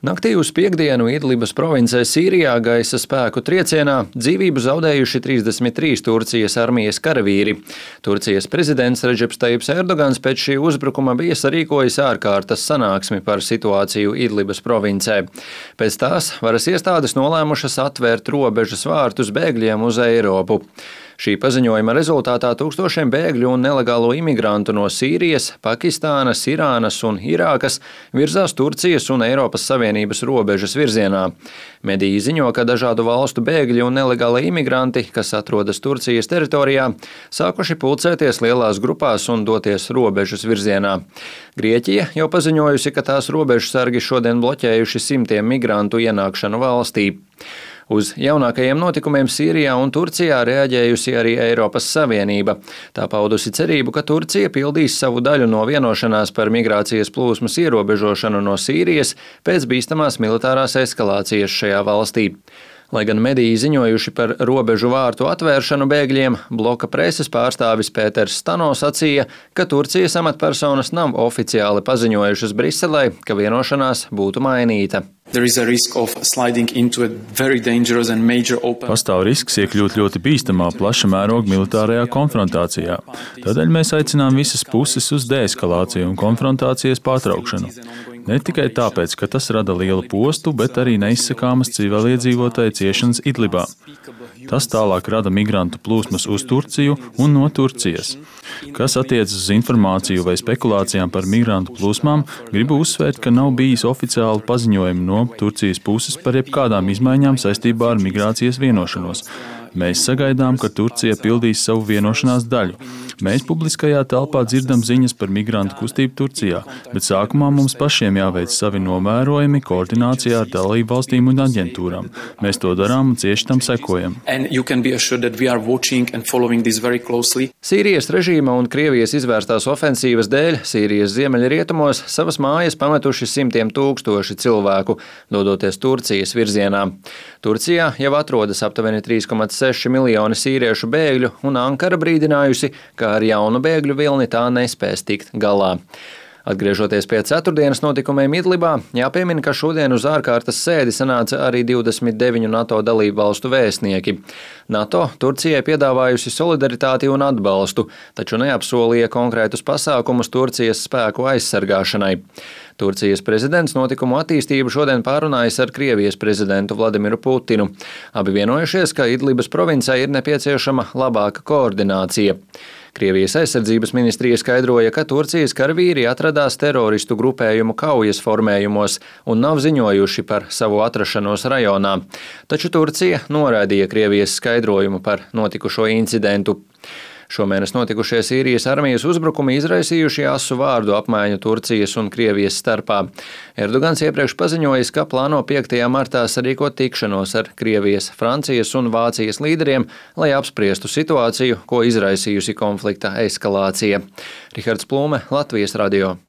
Naktī uz piektdienu Idlibas provincē Sīrijā gaisa spēku triecienā dzīvību zaudējuši 33 Turcijas armijas karavīri. Turcijas prezidents Redžeps Tajips Erdogans pēc šī uzbrukuma bija sarīkojis ārkārtas sanāksmi par situāciju Idlibas provincē. Pēc tās varas iestādes nolēmušas atvērt robežas vārtus bēgļiem uz Eiropu. Šī paziņojuma rezultātā tūkstošiem bēgļu un nelegālo imigrantu no Sīrijas, Pakistānas, Irānas un Irākas virzās Turcijas un Eiropas Savienības robežas virzienā. Mediji ziņo, ka dažādu valstu bēgļi un nelegāli imigranti, kas atrodas Turcijas teritorijā, sākuši pulcēties lielās grupās un doties robežas virzienā. Grieķija jau paziņojusi, ka tās robežsargi šodien bloķējuši simtiem migrantu ienākšanu valstī. Uz jaunākajiem notikumiem Sīrijā un Turcijā reaģējusi arī Eiropas Savienība. Tā paudusi cerību, ka Turcija pildīs savu daļu no vienošanās par migrācijas plūsmas ierobežošanu no Sīrijas pēc bīstamās militārās eskalācijas šajā valstī. Lai gan mediji ziņojuši par robežu vārtu atvēršanu bēgļiem, bloka preses pārstāvis Pēters Stano sacīja, ka Turcijas amatpersonas nav oficiāli paziņojušas Briselē, ka vienošanās būtu mainīta. Pastāv risks iekļūt ļoti bīstamā plaša mēroga militārajā konfrontācijā. Tādēļ mēs aicinām visas puses uz deeskalāciju un konfrontācijas pārtraukšanu. Ne tikai tāpēc, ka tas rada lielu postu, bet arī neizsakāmas civiliedzīvotāju ciešanas Idlibā. Tas tālāk rada migrantu plūsmas uz Turciju un no Turcijas. Kas attiecas uz informāciju vai spekulācijām par migrantu plūsmām, gribu uzsvērt, ka nav bijis oficiālu paziņojumu no Turcijas puses par jebkādām izmaiņām saistībā ar migrācijas vienošanos. Mēs sagaidām, ka Turcija pildīs savu vienošanās daļu. Mēs publiskajā telpā dzirdam ziņas par migrantu kustību Turcijā, bet sākumā mums pašiem jāveic savi novērojumi koordinācijā ar dalību valstīm un aģentūrām. Mēs to darām un cieši tam sekojam. Sīrijas režīma un Krievijas izvērstās ofensīvas dēļ Sīrijas ziemeļrietumos savas mājas pametuši simtiem tūkstoši cilvēku, dodoties Turcijas virzienā. Turcijā jau atrodas aptuveni 3,6 miljoni sīriešu bēgļu, un Ankara brīdinājusi, ka ar jaunu bēgļu vilni tā nespēs tikt galā. Atgriežoties pie ceturtdienas notikumiem Idlibā, jāpiemina, ka šodien uz ārkārtas sēdi sanāca arī 29 NATO dalību valstu vēstnieki. NATO Turcijai piedāvājusi solidaritāti un atbalstu, taču neapsolīja konkrētus pasākumus Turcijas spēku aizsargāšanai. Turcijas prezidents notikumu attīstību šodien pārunājas ar Krievijas prezidentu Vladimiru Putinu. Abi vienojušies, ka Idlibas provincē ir nepieciešama labāka koordinācija. Krievijas aizsardzības ministrija skaidroja, ka Turcijas karavīri atradās teroristu grupējumu kaujas formējumos un nav ziņojuši par savu atrašanos rajonā. Taču Turcija noraidīja Krievijas skaidrojumu par notikušo incidentu. Šomēnes notikušie Sīrijas armijas uzbrukumi izraisījuši asu vārdu apmaiņu Turcijas un Krievijas starpā. Erdogans iepriekš paziņojis, ka plāno 5. martā sarīkot tikšanos ar Krievijas, Francijas un Vācijas līderiem, lai apspriestu situāciju, ko izraisījusi konflikta eskalācija. Rihards Plūme, Latvijas radio.